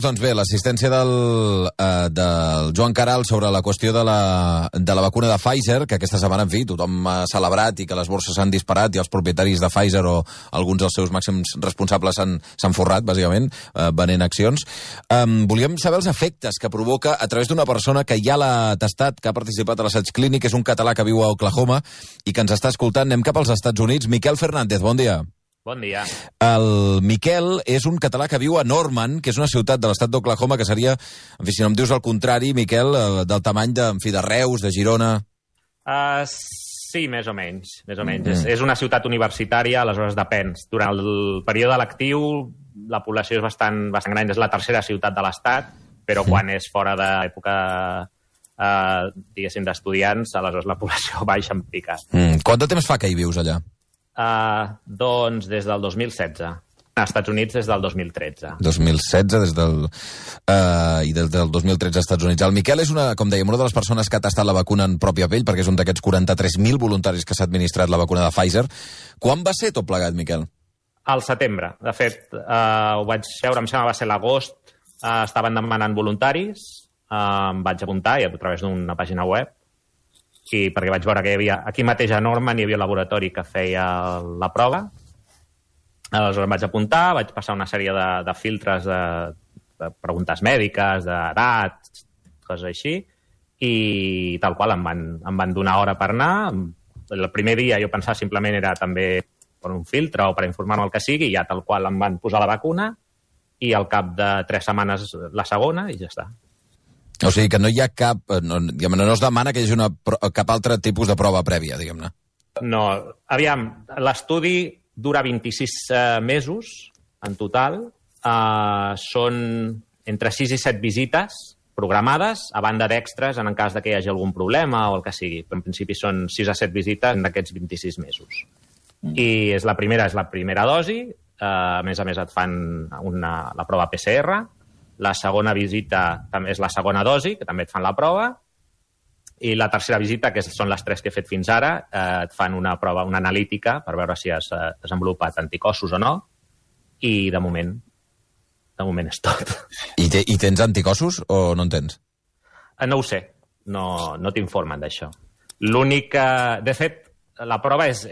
Doncs bé, l'assistència del Joan Caral sobre la qüestió de la vacuna de Pfizer, que aquesta setmana, en fi, tothom ha celebrat i que les borses s'han disparat i els propietaris de Pfizer o alguns dels seus màxims responsables s'han forrat, bàsicament, venent accions. Volíem saber els efectes que provoca a través d'una persona que ja l'ha testat, que ha participat a l'assaig clínic, és un català que viu a Oklahoma i que ens està escoltant. Anem cap als Estats Units. Miquel Fernández, bon dia. Bon dia. El Miquel és un català que viu a Norman, que és una ciutat de l'estat d'Oklahoma que seria, en fi, si no em dius el contrari, Miquel, del tamany de Reus, de Girona... Sí, més o menys. És una ciutat universitària, aleshores depèn. Durant el període lectiu la població és bastant gran, és la tercera ciutat de l'estat, però quan és fora d'època, diguéssim, d'estudiants, aleshores la població baixa en pica. Quant de temps fa que hi vius allà? Doncs des del 2016. Als Estats Units des del 2013. 2016, i des del 2013 als Estats Units. El Miquel és, com dèiem, una de les persones que ha tastat la vacuna en pròpia pell, perquè és un d'aquests 43.000 voluntaris que s'ha administrat la vacuna de Pfizer. Quan va ser tot plegat, Miquel? Al setembre. De fet, ho vaig veure, em sembla va ser l'agost, estaven demanant voluntaris, em vaig apuntar a través d'una pàgina web, perquè vaig veure que hi havia, aquí mateix a Norman hi havia un laboratori que feia la prova. Aleshores em vaig apuntar, vaig passar una sèrie de filtres de preguntes mèdiques, d'edat, coses així, i tal qual em van donar hora per anar. El primer dia jo pensava simplement era també per un filtre o per informar-me el que sigui, i ja tal qual em van posar la vacuna, i al cap de 3 setmanes la segona, i ja està. O sigui que no hi ha cap... No es demana que hi hagi cap altre tipus de prova prèvia, diguem-ne. No, aviam, l'estudi dura 26 mesos en total. Són entre 6 i 7 visites programades, a banda d'extres en cas que hi hagi algun problema o el que sigui. En principi són 6 a 7 visites en aquests 26 mesos. I la primera dosi, a més et fan la prova PCR. La segona visita també és la segona dosi, que també et fan la prova, i la tercera visita, que són les 3 que he fet fins ara, et fan una prova, una analítica, per veure si has desenvolupat anticossos o no, i de moment és tot. I tens anticossos o no en tens? No ho sé, no t'informen d'això. L'únic que... De fet, la prova és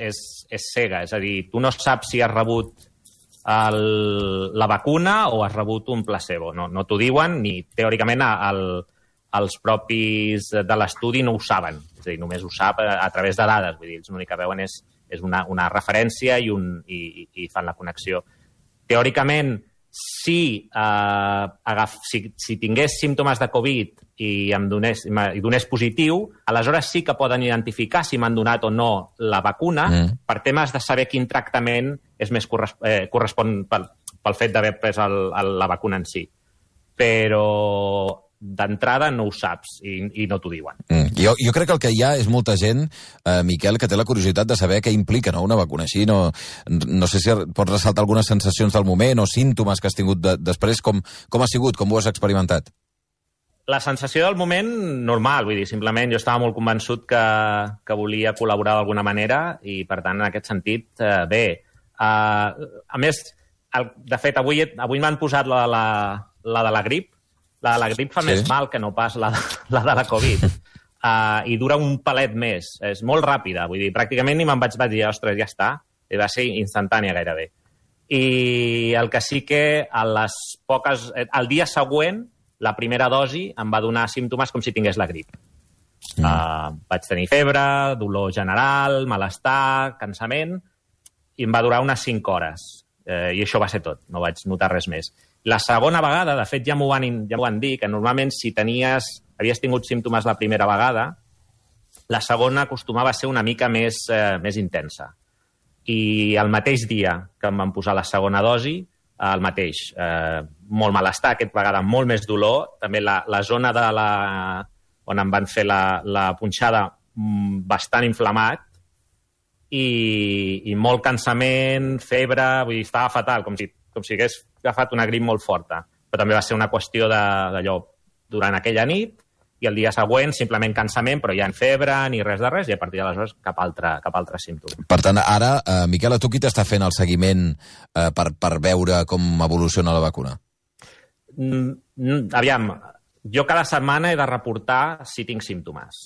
cega, és a dir, tu no saps si has rebut la vacuna o has rebut un placebo. No t'ho diuen, ni teòricament els propis de l'estudi no ho saben. És a dir, només ho sap a través de dades. Vull dir, l'únic que veuen és una referència i fan la connexió. Teòricament, si tingués símptomes de Covid i donés positiu, aleshores sí que poden identificar si m'han donat o no la vacuna per temes de saber quin tractament és més correspon pel fet d'haver pres la vacuna en si. Però d'entrada no ho saps i no t'ho diuen. Jo crec que el que hi ha és molta gent, Miquel, que té la curiositat de saber què implica una vacuna així. No sé si pots ressaltar algunes sensacions del moment o símptomes que has tingut després. Com ha sigut? Com ho has experimentat? La sensació del moment, normal. Vull dir, simplement jo estava molt convençut que volia col·laborar d'alguna manera i, per tant, en aquest sentit, bé. A més, de fet, avui m'han posat la de la grip. La de la grip fa més mal que no pas la de la Covid. I dura un palet més. És molt ràpida. Vull dir, pràcticament ni me'n vaig dir, ostres, ja està. I va ser instantània gairebé. I el que sí que el dia següent, la primera dosi em va donar símptomes com si tingués la grip. Vaig tenir febre, dolor general, malestar, cansament, i em va durar unes 5 hores. I això va ser tot, no vaig notar res més. La segona vegada, de fet, ja m'ho van dir, que normalment si havies tingut símptomes la primera vegada, la segona acostumava a ser una mica més intensa. I el mateix dia que em van posar la segona dosi, el mateix, molt malestar, aquesta vegada molt més dolor, també la zona on em van fer la punxada bastant inflamat, i molt cansament, febre, vull dir, estava fatal, com si hagués agafat una grip molt forta. Però també va ser una qüestió d'allò durant aquella nit, i el dia següent simplement cansament, però ja en febre ni res de res, i a partir d'aleshores cap altre símptoma. Per tant, ara, Miquel, a tu qui t'està fent el seguiment per veure com evoluciona la vacuna? Aviam, jo cada setmana he de reportar si tinc símptomes.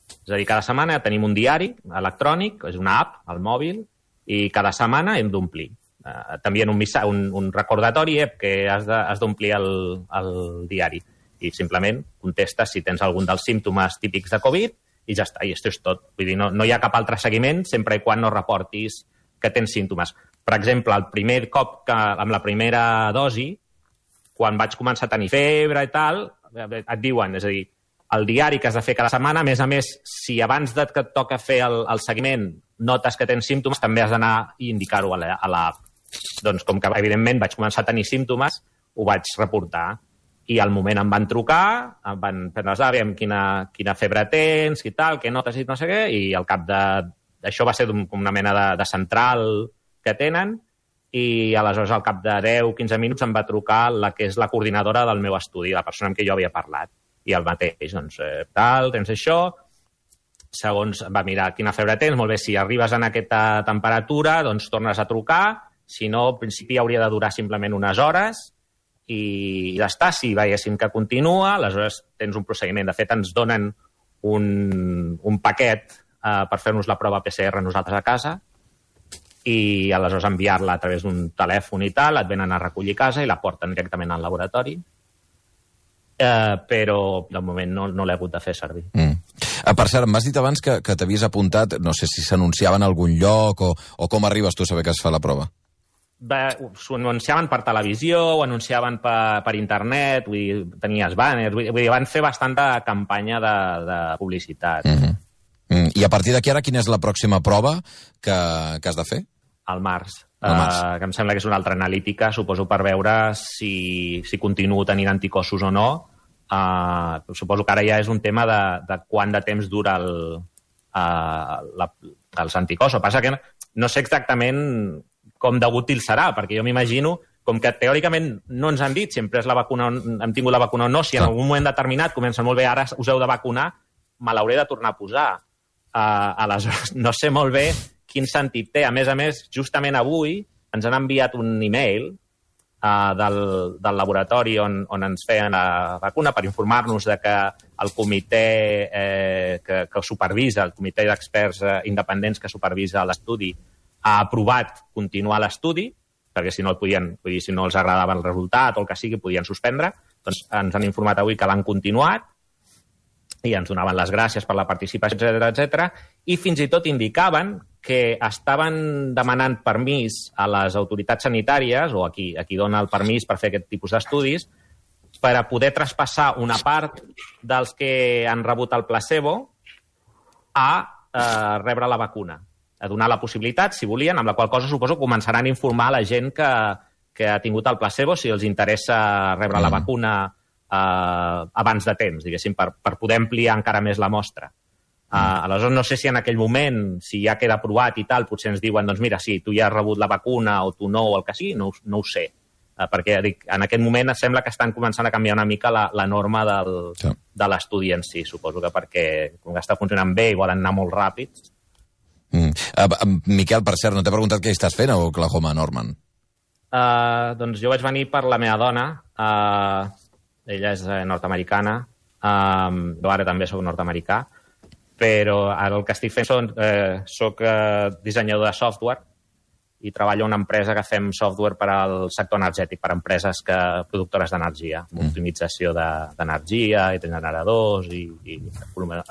És a dir, cada setmana tenim un diari electrònic, és una app al mòbil, i cada setmana hem d'omplir. T'envien un recordatori que has d'omplir el diari. I simplement contestes si tens algun dels símptomes típics de Covid i ja està, i això és tot. Vull dir, no hi ha cap altre seguiment sempre i quan no reportis que tens símptomes. Per exemple, el primer cop amb la primera dosi, quan vaig començar a tenir febre i tal, et diuen, és a dir, el diari que has de fer cada setmana, a més, si abans que et toca fer el seguiment notes que tens símptomes, també has d'anar i indicar-ho a l'app. Doncs com que, evidentment, vaig començar a tenir símptomes, ho vaig reportar. I al moment em van trucar, em van prendre les dades, quina febre tens, i tal, què notes i no sé què, i al cap d'això va ser una mena de central que tenen, i aleshores al cap de 10-15 minuts em va trucar la que és la coordinadora del meu estudi, la persona amb qui jo havia parlat. I el mateix, doncs, tal, tens això, segons va mirar quina febre tens, molt bé, si arribes en aquesta temperatura, doncs tornes a trucar, si no, al principi hauria de durar simplement unes hores, i ja està, si veiéssim que continua, aleshores tens un procediment. De fet, ens donen un paquet per fer-nos la prova PCR nosaltres a casa, i aleshores enviar-la a través d'un telèfon i tal, et venen a recollir a casa i la porten directament al laboratori. Però de moment no l'he hagut de fer servir. Per cert, m'has dit abans que t'havies apuntat, no sé si s'anunciava en algun lloc o com arribes tu a saber que es fa la prova? S'ho anunciaven per televisió, ho anunciaven per internet, vull dir, tenies banners, vull dir, van fer bastanta campanya de publicitat. I a partir d'aquí ara, quina és la pròxima prova que has de fer? Al març. Que em sembla que és una altra analítica, suposo per veure si continuo tenint anticossos o no. Suposo que ara ja és un tema de quant de temps dura els anticossos. Passa que no sé exactament com de útil serà, perquè jo m'imagino, com que teòricament no ens han dit sempre és la vacuna, hem tingut la vacuna o no, si en algun moment determinat comencen molt bé, ara us heu de vacunar, me l'hauré de tornar a posar. Aleshores, no sé molt bé quin sentit té. A més, justament avui ens han enviat un e-mail del laboratori on ens feien la vacuna per informar-nos de que el comitè que supervisa, el comitè d'experts independents que supervisa l'estudi, ha aprovat continuar l'estudi, perquè si no el podien, vull dir, si no els agradava el resultat o el que sigui, podien suspendre. Doncs ens han informat avui que l'han continuat i ens donaven les gràcies per la participació, etc. I fins i tot indicaven que estaven demanant permís a les autoritats sanitàries, o a qui dona el permís per fer aquest tipus d'estudis, per a poder traspassar una part dels que han rebut el placebo a rebre la vacuna, a donar la possibilitat, si volien, amb la qual cosa suposo començaran a informar la gent que ha tingut el placebo si els interessa rebre la vacuna abans de temps, diguéssim, per poder ampliar encara més la mostra. Aleshores, no sé si en aquell moment, si ja queda aprovat i tal, potser ens diuen, doncs mira, sí, tu ja has rebut la vacuna o tu no, o el que sigui, no ho sé. Perquè en aquest moment sembla que estan començant a canviar una mica la norma de l'estudi en si. Suposo que perquè, com que està funcionant bé i volen anar molt ràpids. Miquel, per cert, no t'he preguntat què estàs fent a Oklahoma, Norman? Doncs jo vaig venir per la meva dona. Ella és nord-americana. Jo ara també soc nord-americà. Però ara el que estic fent soc dissenyador de software i treballo en una empresa que fem software per al sector energètic, per a empreses productores d'energia, optimització d'energia i de generadors i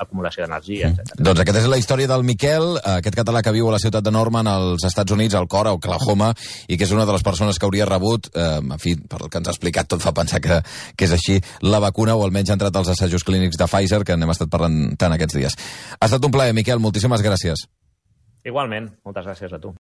acumulació d'energia, etc. Doncs aquesta és la història del Miquel, aquest català que viu a la ciutat de Norman, als Estats Units, al cor, a Oklahoma, i que és una de les persones que hauria rebut, en fi, per el que ens ha explicat, tot fa pensar que és així, la vacuna, o almenys ha entrat als assajos clínics de Pfizer, que n'hem estat parlant tant aquests dies. Ha estat un plaer, Miquel, moltíssimes gràcies. Igualment, moltes gràcies a tu.